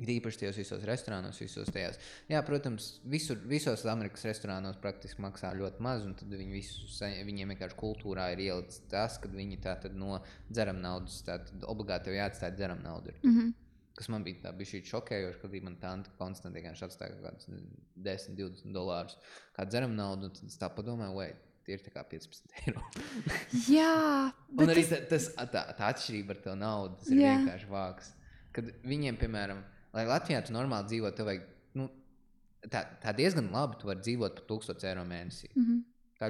Īpaši tajos visos restorānos, visos tajās. Jā, protams, visos Amerikas restorānos praktiski maksā ļoti maz, un tad viņiem vienkārši kultūrā ir ielicis tas, kad viņi tātad no dzeram naudas, tātad obligāti tev jāatstāja dzeram naudu. Kas man bija tā bišķīt šokējoši, kad man tante konstanti vienkārši atstāja kaut kādus $10-20 kā dzeram naudu, un tad es tā padomāju, tie ir tā kā 15 eiro. Jā. Un arī tā atšķirība ar to naudu, tas ir vienkārši vāks. Kad viņiem, piemēram, lai Latvijā tu normāli dzīvot, tev vajag, tā diezgan labi tu vari dzīvot par 1000 eiro mēnesī. Tā,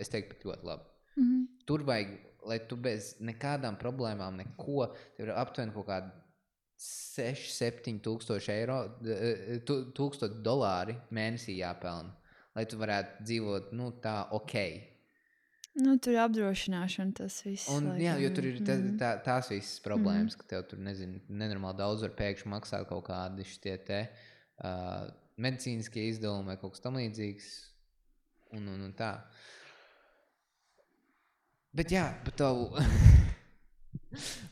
es teiktu, pat ļoti labi. Tur vajag, lai tu bez nekādām problēmām, neko, tev ir aptuveni kaut kādi 6-7 tūkstoši eiro, $1000 mēnesī jāpelna, lai tu varētu dzīvot, tā Tur apdrošināšana tas viss. Un, jo tur ir tās visas problēmas, ka tev tur, nenormāli daudz var pēkšņi maksāt kaut kādi šitie medicīniskie izdevumi vai kaut kas tam līdzīgs. Un tā. Bet jā,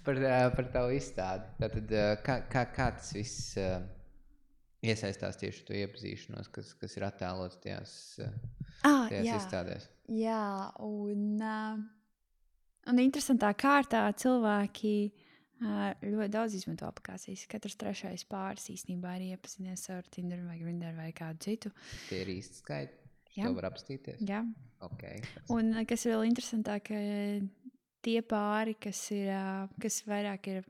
par tavu izstādi. Tātad, kā tas viss iesaistās tieši to iepazīšanos, kas ir attēlots tajās izstādēs? Jā, un interesantā kārtā cilvēki ļoti daudz izmanto aplikācijas. Katrs trešais pāris īstenībā ir iepazinies ar Tinder vai Grindr vai kādu citu. Tie ir īsti skaiti? To var apstīties? Jā. Okay. Un kas vēl interesantāk, tie pāri, kas vairāk ir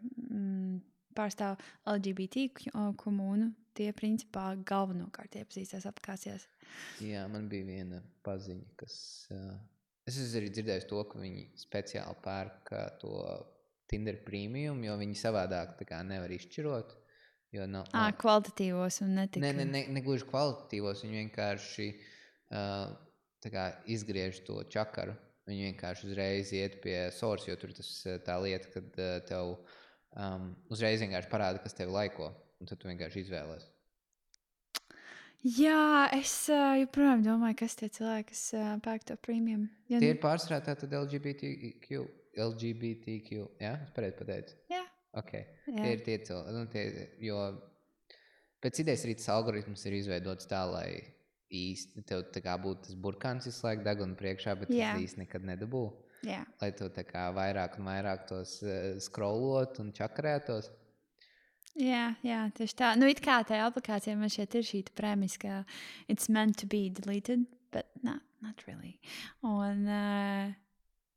pārstāv LGBT komunu, tie principā galvenokārt iepazīstās aplikācijās. Jā, man bija viena paziņa, kas... es arī dzirdēju to, ka viņi speciāli pērk to Tinder Premium, jo viņi savādāk tā kā nevar izšķirot. Jo kvalitatīvos un netik... Ne gluži kvalitatīvos, viņi vienkārši tā kā izgriež to čakaru. Viņi vienkārši uzreiz iet pie source, jo tur tā lieta, kad tev uzreiz vienkārši parāda, kas tevi laiko. Un tad tu vienkārši izvēlies. Jā, es joprojām domāju, kas tie cilvēki, kas pērk to premium. Tie ir pārsvarā tātad LGBTQ, jā? Es pareizi pateicu? Jā. Okay. Jā. Tie ir tie cilvēki, jo pēc idejas arī tas algoritms ir izveidots tā, lai īsti tev tā kā būtu tas burkāns visu laiku deguna priekšā, bet tas īsti nekad nedabū. Jā. Lai tu tā kā vairāk un vairāk tos scrollot un čakarētos. Jā, tieši tā. It kā tajā aplikācijā man šeit ir šī premisa, ka it's meant to be deleted, but not really. Un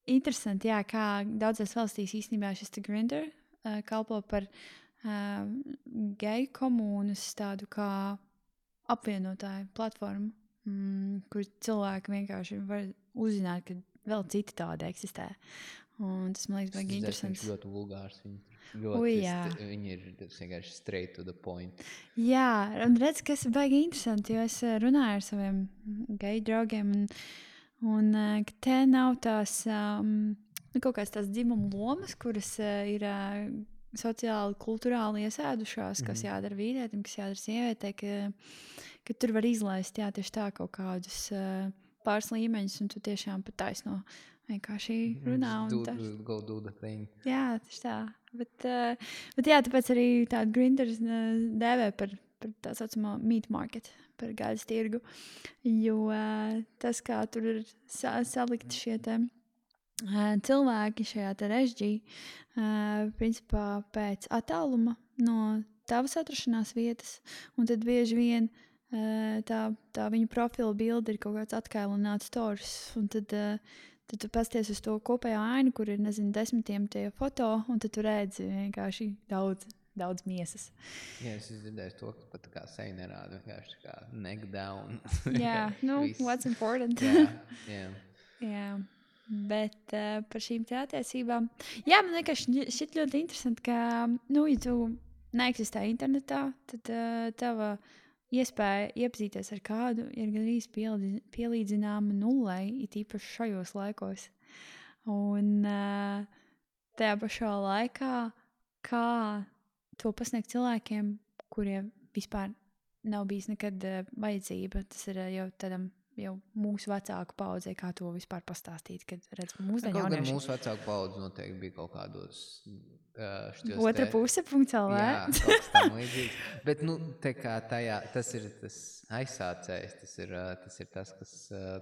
interesanti, kā daudzās valstīs īstenībā šis Grindr kalpo par geju komūnas tādu kā apvienotāju platformu, kur cilvēki vienkārši var uzzināt, ka vēl citi tādi eksistē. Un tas, man liekas, baigi interesants. Tas ļoti vulgārs. Viņi ir vienkārši straight to the point. Jā, un redz, kas ir baigi interesanti, jo es runāju ar saviem geju draugiem, un ka te nav tās kaut kāds tās dzimuma lomas, kuras ir sociāli, kulturāli iesēdušās, kas jādara vīrietim, kas jādara sievietei, ka tur var izlaist, tieši tā kaut kādus pāris līmeņus, un tu tiešām pat taisno vienkārši runā. Go do the thing. Jā, tieši tā. Bet tāpēc arī tādu Grindr dēvē par tā saucamo meat market, par gaļas tirgu, jo tas, kā tur ir salikti šie cilvēki šajā režģī, principā pēc attāluma no tavas atrašanās vietas, un tad bieži vien tā viņu profila bilde ir kaut kāds atkailināts stories, un tad tu pasties uz to kopējo ainu, kur ir, 10 tie foto, un tad tu redzi vienkārši daudz miesas. Jā, es dzirdēju to, ka pat tā kā seja nerāda, vienkārši tā kā neck down. Jā, what's important. Jā. Bet par šīm te attiecībām. Jā, man vienkārši šķiet ļoti interesanti, ka, ja tu neeksistē internetā, tad tava iespēja iepazīties ar kādu ir gandrīz pielīdzināma nullei, it īpaši šajos laikos. Un tajā pašā laikā, kā to pasniegt cilvēkiem, kuriem vispār nav bijis nekad vajadzība, tas ir jau tādam jau mūsu vecāku paudzei, kā to vispār pastāstīt, kad redz mūsdienu Kaut gan jaunieši. mūsu vecāku paudze noteikti bija kaut kādos Otra puse, .lv. Jā, kaut kas tam līdzīgs. Bet, nu, te kā tajā, tas ir tas aizsācējs, tas ir tas, kas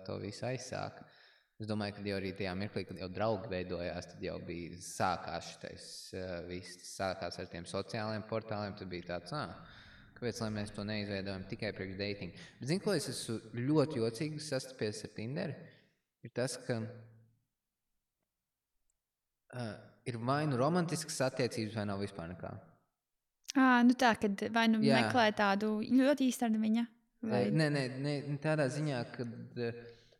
to visu aizsāka. Es domāju, ka jau arī tajā mirklī, kad jau draugi veidojās, tad jau bija sākās šitais viss, sākās ar tiem sociālajiem portāliem, tad bija tāds, kāpēc, lai mēs to neizveidojam tikai priekš dating. Bet zini, ko es esmu ļoti jocīgi sastapies ar Tinderi, ir tas, ka ir vai nu romantiskas attiecības, vai nav vispār nekā. Nu tā, kad vai nu meklē tādu ļoti īstermiņa. Vai... Nē, tādā ziņā, kad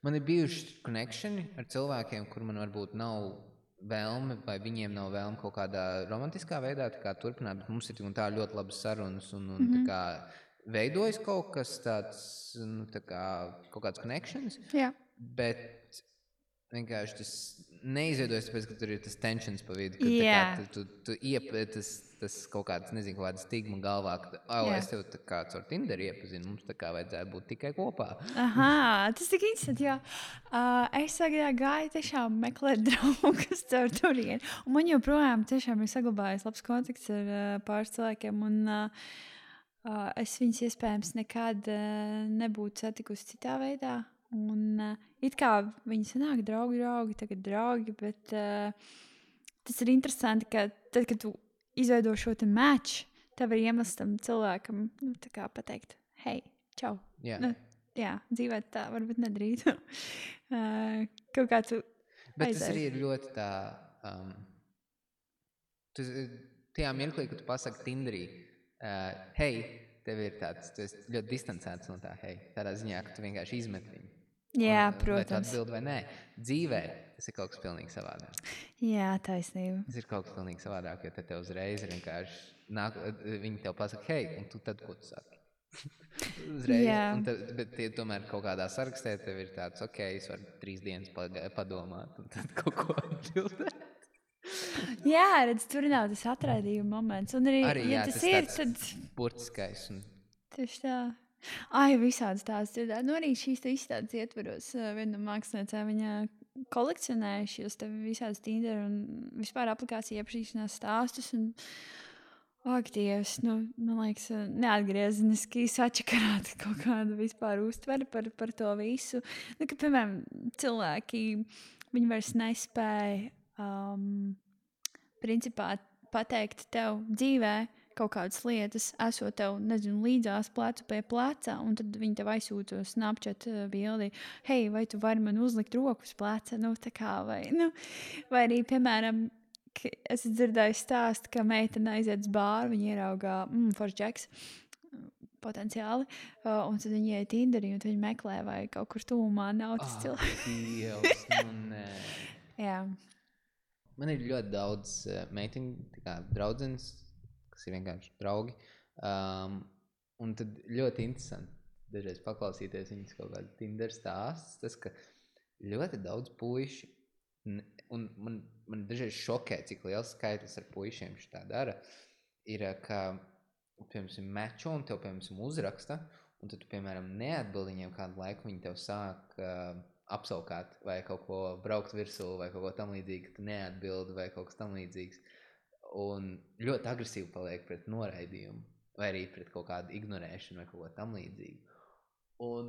man ir bijuši connectioni ar cilvēkiem, kur man varbūt nav vēlme, vai viņiem nav vēlme kaut kādā romantiskā veidā tā kā turpināt, bet mums ir tā ļoti labas sarunas un tā kā veidojas kaut kas tāds, nu, tā kā kaut kāds connections, bet vienkārši tas neizveidojas, tāpēc, ka tur ir tas tensions pa vidu, ka tu tas kaut kāds, nezinu, kaut kāda stigma galvā, ka, es tev tā kā caur Tinderi iepazinu, mums tā kā vajadzētu būt tikai kopā. Tas tik interesanti, jā. Es gāju tiešām meklēt draugus caur turieni, un man joprojām tiešām ir saglabājies labs kontakts ar pāris cilvēkiem, un es viņus iespējams nekad nebūtu satikusi citā veidā. Un it kā viņi sanāk draugi, tagad draugi, bet tas ir interesanti, ka tad, kad tu izveido šo te match, tev ir iemesls tam cilvēkam, nu, tā kā pateikt, hei, čau. Nu, dzīvē tā varbūt nedrīkst. Kaut kā tu bet aizies. Tas arī ir ļoti tā, tajā mirklī, kad tu pasaki Tinderī, hei, tev ir tāds, tu esi ļoti distancēts no tā, hei, tādā ziņā, ka tu vienkārši izmet viņu. Jā, Vai protams. tu atbildi vai nē. Dzīvē tas ir kaut kas pilnīgi savādāk. Jā, taisnība. Tas ir kaut kas pilnīgi savādāk, jo te uzreiz ir vienkārši nāk, viņi tev pasaka, hei, un tu tad, ko tu saki? Uzreiz. Bet tomēr kaut kādā sarakstē tev ir tāds, ok, es varu 3 dienas padomāt, un tad kaut ko atbildēt. Jā, redz, tur nav tas atraidījuma moments. Un arī ja tas ir, tad... burtiskais. Tieši tā. Visādas tās dzirdēt. Nu, arī šīs izstādes ietveros. Viena no māksliniecēm viņa kolekcionēja šos te visādas Tinder un vispār aplikāciju iepazīšanās stāstus. Un, Dievs, nu, man liekas, neatgriezeniski sačakarāt kaut kādu vispār uztveri par to visu. Nu, ka, piemēram, cilvēki, viņi vairs nespēja principā pateikt tev dzīvē kaut kādas lietas, esot tev, nezinu, līdzās plecu pie pleca, un tad viņi tev aizsūta Snapchat bildi, hei, vai tu vari man uzlikt roku uz pleca, nu, tā kā, vai arī, piemēram, es dzirdēju stāstu, ka meitene aiziet uz bāru, viņa ieraugā, foršs džeks, potenciāli, un tad viņi iet Tinderī, un viņi meklē, vai kaut kur tūmā nav tas cilvēks. Dievs, nu nē. Jā. Man ir ļoti daudz meitiņu, tā kā draudzenes, kas ir vienkārši draugi. Un tad ļoti interesanti dažreiz paklausīties viņas kaut kādu Tinder stāstus. Tas, ka ļoti daudz puiši, un man dažreiz šokē, cik liels skaitlis ar puišiem šitā dara, ir, ka, piemēram, mečo un tev, piemēram, uzraksta, un tad tu, piemēram, neatbildi viņiem kādu laiku, viņi tev sāk apsaukāt vai kaut ko braukt virsū vai kaut ko tam līdzīgu, tu neatbildi vai kaut kas tam līdzīgs. Un ļoti agresīvi paliek pret noraidījumu vai arī pret kaut kādu ignorēšanu vai kaut ko tam līdzīgu. Un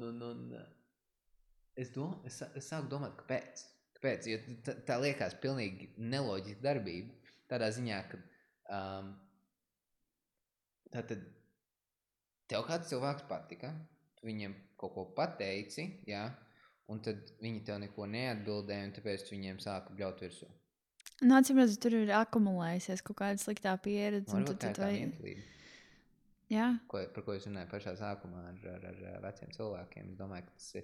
es sāku domāt, kāpēc? Jo tā liekas pilnīgi neloģiska darbība. Tādā ziņā, ka tātad tev kāds cilvēks patika, tu viņiem kaut ko pateici, jā, un tad viņi tev neko neatbildēja, un tāpēc tu viņiem sāka bļaut virsū. Nu, atcīmredzot, tur ir akumulējusies kaut kāda sliktā pieredze. Varbūt tā ir tā vientlība. Jā. Par ko es runāju pašā sākumā ar veciem cilvēkiem. Es domāju, ka tas ir,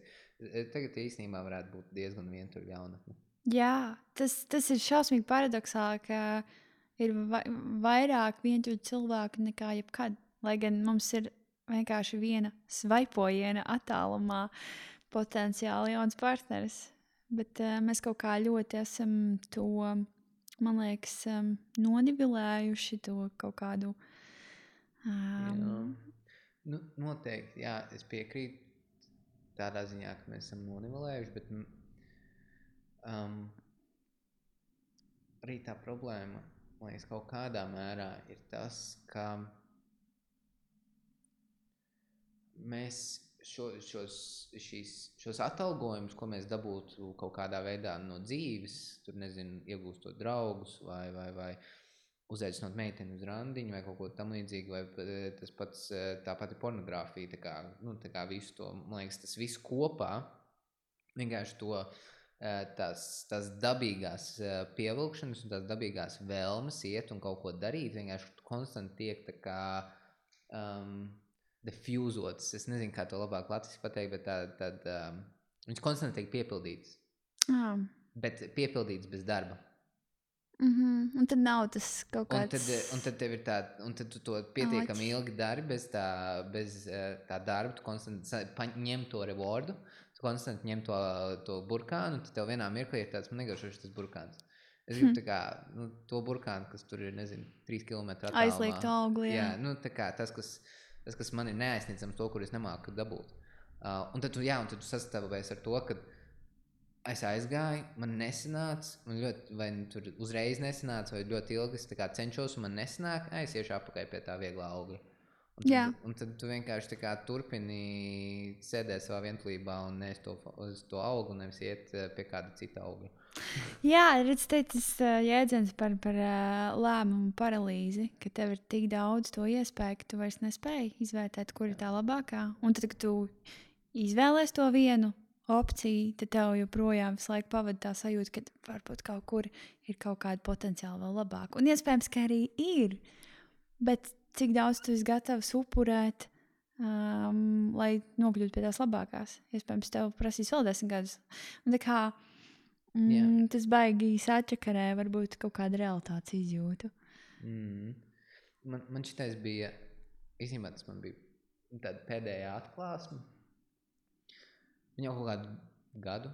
tagad īstenībā varētu būt diezgan vientuļa jaunatne. Jā, tas ir šausmīgi paradoksāli, ka ir vairāk vientuļu cilvēku nekā jebkad. Lai gan mums ir vienkārši viena svaipojiena attālumā potenciāli jauns partneris. Bet mēs kaut kā ļoti esam to, man liekas, nonivilējuši to kaut kādu... Nu, noteikti, jā, es piekrītu. tādā ziņā, ka mēs esam nonivelējuši, bet arī tā problēma, man liekas, kaut kādā mērā ir tas, ka mēs šos atalgojumus, ko mēs dabūtu kaut kādā veidā no dzīves, tur nezinu, iegūstot draugus vai uzaicinot meiteni uz randiņu vai kaut ko tam līdzīgu, vai tas pats, tā pati pornogrāfija, tā kā visu to, man liekas, tas viss kopā, vienkārši to tās dabīgās pievilkšanas un tās dabīgās vēlmes iet un kaut ko darīt, vienkārši konstanti tiek tā kā diffuzots, es nezinu, kā to labāk latviski pateikt, bet viņš konstanti tiek piepildīts, bet piepildīts bez darba. Un tad nav tas kaut kāds... Un tad tev ir un tad tu to pietiekami ilgi dari bez tā darba, tu konstanti ņem to rewardu, tu konstanti ņem to burkānu, un tad tev vienā mirklī ir tāds, man negaršoši tas burkāns. Es gribu tā kā, to burkānu, kas tur ir, nezinu, 3 kilometru attālumā. Aizliegt augli, jā. Tā kā tas, kas man ir neaizsniedzams, to, kur es nemāku dabūt. Un tad tu sastāvējies ar to, ka es aizgāju, man nesanāca, vai tur uzreiz nesanāca, vai ļoti ilgi es tā kā cenšos, un man nesanāk, es iešu apakaļ pie tā vieglā augļa. Un tad tu vienkārši tā kā turpini sēdēt savā vientulībā un neesi to augļu, nevis iet pie kāda cita augļa. Jā, redz, tas jēdziens par lēmumu paralīzi, ka tev ir tik daudz to iespēju, ka tu vairs nespēji izvērtēt, kur ir tā labākā. Un tad, kad tu izvēlies to vienu opciju, tad tev joprojām visu laiku pavada tā sajūta, ka varbūt kaut kur ir kaut kāda potenciāli vēl labāka. Un iespējams, ka arī ir, bet cik daudz tu esi gatavs upurēt, lai nokļūtu pie tās labākās. Iespējams, tev prasīs vēl 10 gadus. Un tā kā tas baigi sačakarē varbūt kaut kādu realitātes izjūtu. Man šitais bija, īstenībā tas man bija tāda pēdējā atklāsme. Viņa jau kaut kādu gadu,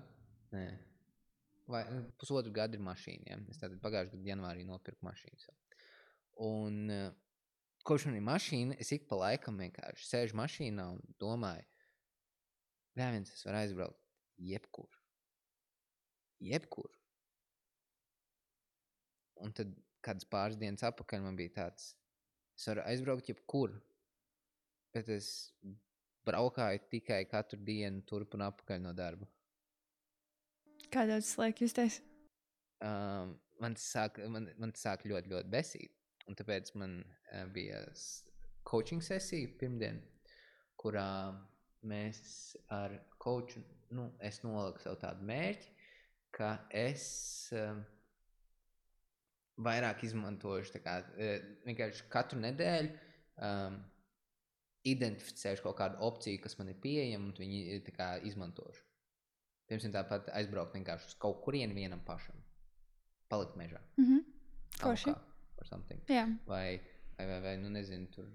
vai pusotru gadu ir mašīna, ja? Es tātad pagājušajā gadu janvārī nopirku mašīnu. Un kopš man ir mašīna, es ik pa laikam vienkārši sēžu mašīnā un domāju, es varu aizbraukt jebkur. Un tad kādas pāris dienas atpakaļ man bija tāds, es varu aizbraukt jebkur, bet es braukāju tikai katru dienu turp un atpakaļ no darba. Kā daudz liek justies? Man sāk ļoti, ļoti besīt. Un tāpēc man bija coaching sesija pirmdien, kurā mēs ar coachu, es noliku sev tādu mērķi, ka es vairāk izmantošu, tā kā vienkārši katru nedēļu identificēšu kaut kādu opciju, kas man ir pieejama, un viņi tā kā izmantošu. Piemēram, tāpat aizbraukt vienkārši uz kaut kurienu vienam pašam. Palikt mežā. Koši. Or something. Jā. Vai nezinu, tur...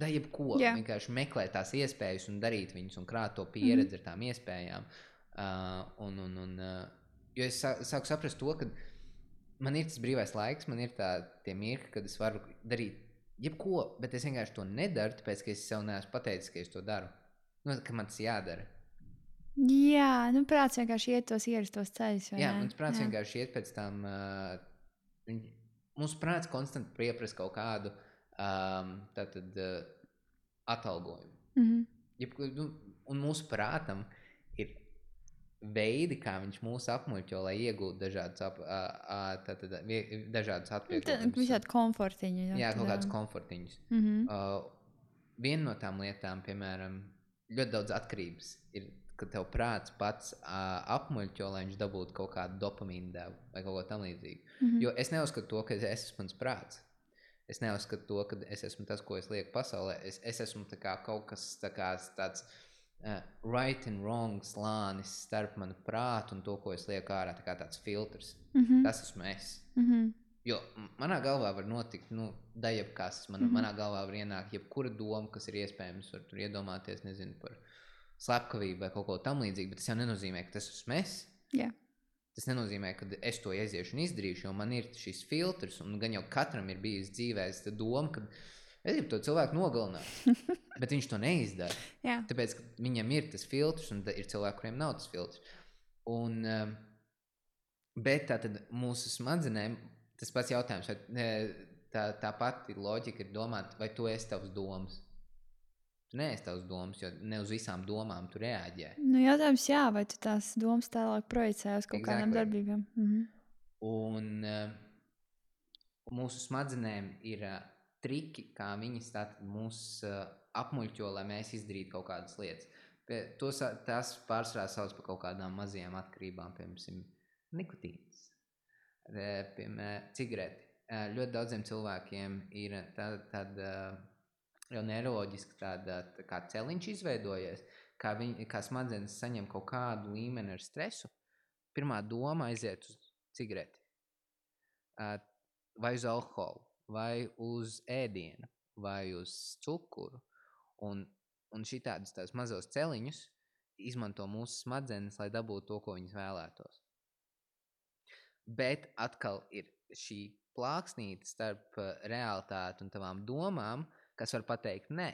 da jebko. Jā. Vienkārši meklēt tās iespējas un darīt viņus un krāt to pieredzi ar tām iespējām. Jo es sāku saprast to, ka man ir tas brīvais laiks, man ir tie mirkļi, kad es varu darīt jebko, bet es vienkārši to nedaru, tāpēc, ka es sev neesmu pateicis, ka es to daru. Ka man tas jādara. Jā, prāts vienkārši iet tos ierastos ceļus. Jā, mums prāts vienkārši iet pēc tam... Mums prāts konstanti pieprasa kaut kādu atalgojumu. Un mūsu prātam ir veidi, kā viņš mūs apmuļķo, lai iegūtu dažādus atvieglojumus. Visādi komfortiņi. Jā, kaut kādus komfortiņus. Viena no tām lietām, piemēram, ļoti daudz atkarības ir, ka tev prāts pats apmuļķo, lai viņš dabūtu kaut kādu dopamīnu devu vai kaut ko tam līdzīgu. Jo es neuzskatu to, ka es esmu mans prāts. Es neuzskatu to, ka es esmu tas, ko es lieku pasaulē. Es esmu tā kā kaut kas tāds right and wrong slānis starp manu prātu un to, ko es lieku ārā, tā kā tāds filtrs. Tas esmu es. Jo manā galvā var notikt, da jebkas. Manā galvā var ienākt jebkura doma, kas ir iespējams. Var tur iedomāties, nezinu, par slepkavību vai kaut ko tam līdzīgu, bet tas jau nenozīmē, ka tas esmu es. Jā. Tas nenozīmē, ka es to aiziešu un izdarīšu, jo man ir šis filtrs, un gan jau katram ir bijis dzīvēs doma, ka Es gribu to cilvēku nogalināt, bet viņš to neizdara. Jā. Tāpēc, ka viņam ir tas filtrs, un ir cilvēki, kuriem nav tas filtrs. Un, bet tātad mūsu smadzenēm, tas pats jautājums, vai tā pati loģika ir domāt, vai tu esi tavs domas. Tu neesi tavs domas, jo ne uz visām domām tu reaģē. Nu, jautājums, jā, vai tu tās domas tālāk projicē uz kaut kādām darbībām? Un mūsu smadzenēm ir triki, kā viņas tātad mūs apmuļķo, lai mēs izdarītu kaut kādas lietas. Tās pārsvarā sauc par kaut kādām mazajām atkarībām, piemēram, nikotīns, piemēram, cigareti. Ļoti daudziem cilvēkiem ir tāda jau neiroloģiski tāda kā celiņš izveidojies, kā smadzenes saņem kaut kādu līmeni ar stresu. Pirmā doma aiziet uz cigareti, vai uz alkoholu, vai uz ēdienu, vai uz cukuru. Un šitādus tās mazos celiņus izmanto mūsu smadzenes, lai dabūtu to, ko viņas vēlētos. Bet atkal ir šī plāksnīte starp realitāti un tavām domām, kas var pateikt nē.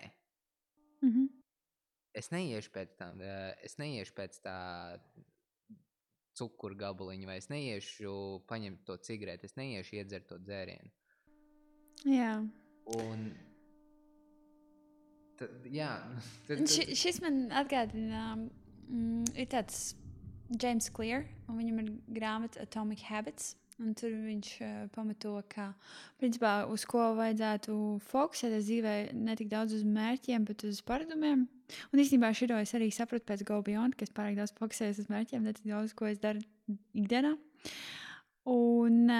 Es neiešu pēc tā cukuru gabaliņu, vai es neiešu paņemt to cigareti, es neiešu iedzert to dzērienu. Jā. Un Šis man atgādina, ir tāds James Clear, un viņam ir grāmata Atomic Habits, un tur viņš pamato, ka principā uz ko vajadzētu fokusēties dzīvē ne tik daudz uz mērķiem, bet uz paradumiem. Un īstenībā šito es arī sapratu pēc Go Beyond, ka es pārāk daudz fokusējos uz mērķiem, ne tik daudz, ko es daru ikdienā. Un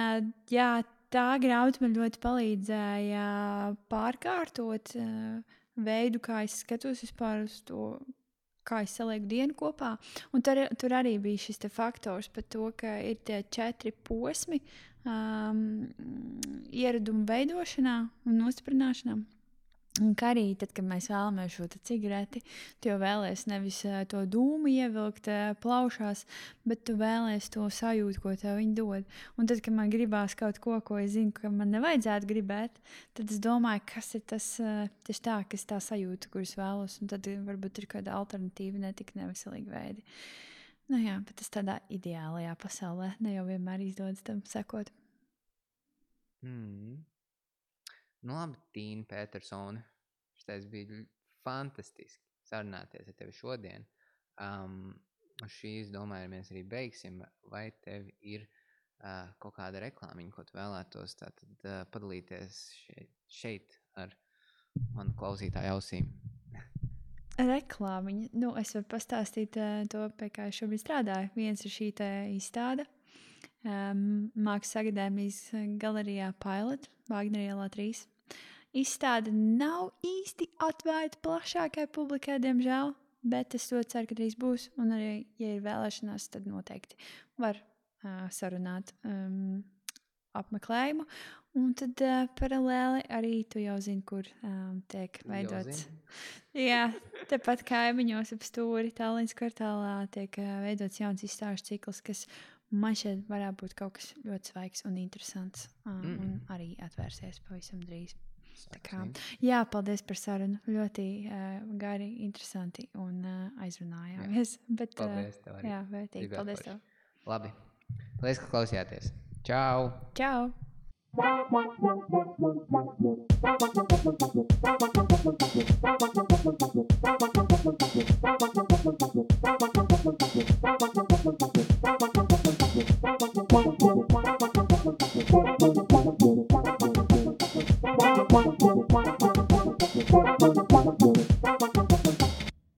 jā, tā grāmata man ļoti palīdzēja pārkārtot veidu, kā es skatos vispār uz to, kā es salieku dienu kopā. Un tur arī bija šis te faktors par to, ka ir tie 4 posmi ieradumu veidošanā un nostiprināšanā. Un kā arī tad, kad mēs vēlamies šo cigareti, tu jau vēlies nevis to dūmu ievilkt plaušās, bet tu vēlies to sajūtu, ko tev viņi dod. Un tad, kad man gribās kaut ko es zinu, ka man nevajadzētu gribēt, tad es domāju, kas ir tas tieši tā, kas tā sajūta, kuras vēlos. Un tad varbūt ir kāda alternatīva, ne tik neveselīga veidi. Nu jā, bet tas tādā ideālajā pasaulē ne jau vienmēr izdodas tam sekot. Nu labi, Tīna Petersone, šitais bija fantastiski sarunāties ar tevi šodien. Šīs, domāju, mēs arī beigsim. Vai tev ir kaut kāda reklāmiņa, ko tu vēlētos tātad padalīties šeit ar manu klausītāju ausīm? Reklāmiņa? Nu, es varu pastāstīt to, pie kā es šobrīd strādāju. Viens ir šī izstāde. Mākslas akadēmijas galerijā Pilot, Vāgneru ielā 3. Izstāde nav īsti atvērta plašākai publikai, diemžēl, bet es ļoti ceru, ka drīz būs. Un arī, ja ir vēlēšanās, tad noteikti var sarunāt apmeklējumu. Un tad paralēli arī tu jau zini, kur tiek veidots. Jā, tepat kaimiņos ap stūri Tallinas kvartālā tiek veidots jauns izstāžu cikls, kas man šeit varētu būt kaut kas ļoti svaigs un interesants un arī atvērsies pavisam drīz. Jā, paldies par sarunu. Ļoti gari, interesanti un aizrunājāmies. Bet, paldies tev arī. Jā, vērtīgi. Paldies tev. Labi. Paldies, ka klausījāties. Čau! Čau! Čau!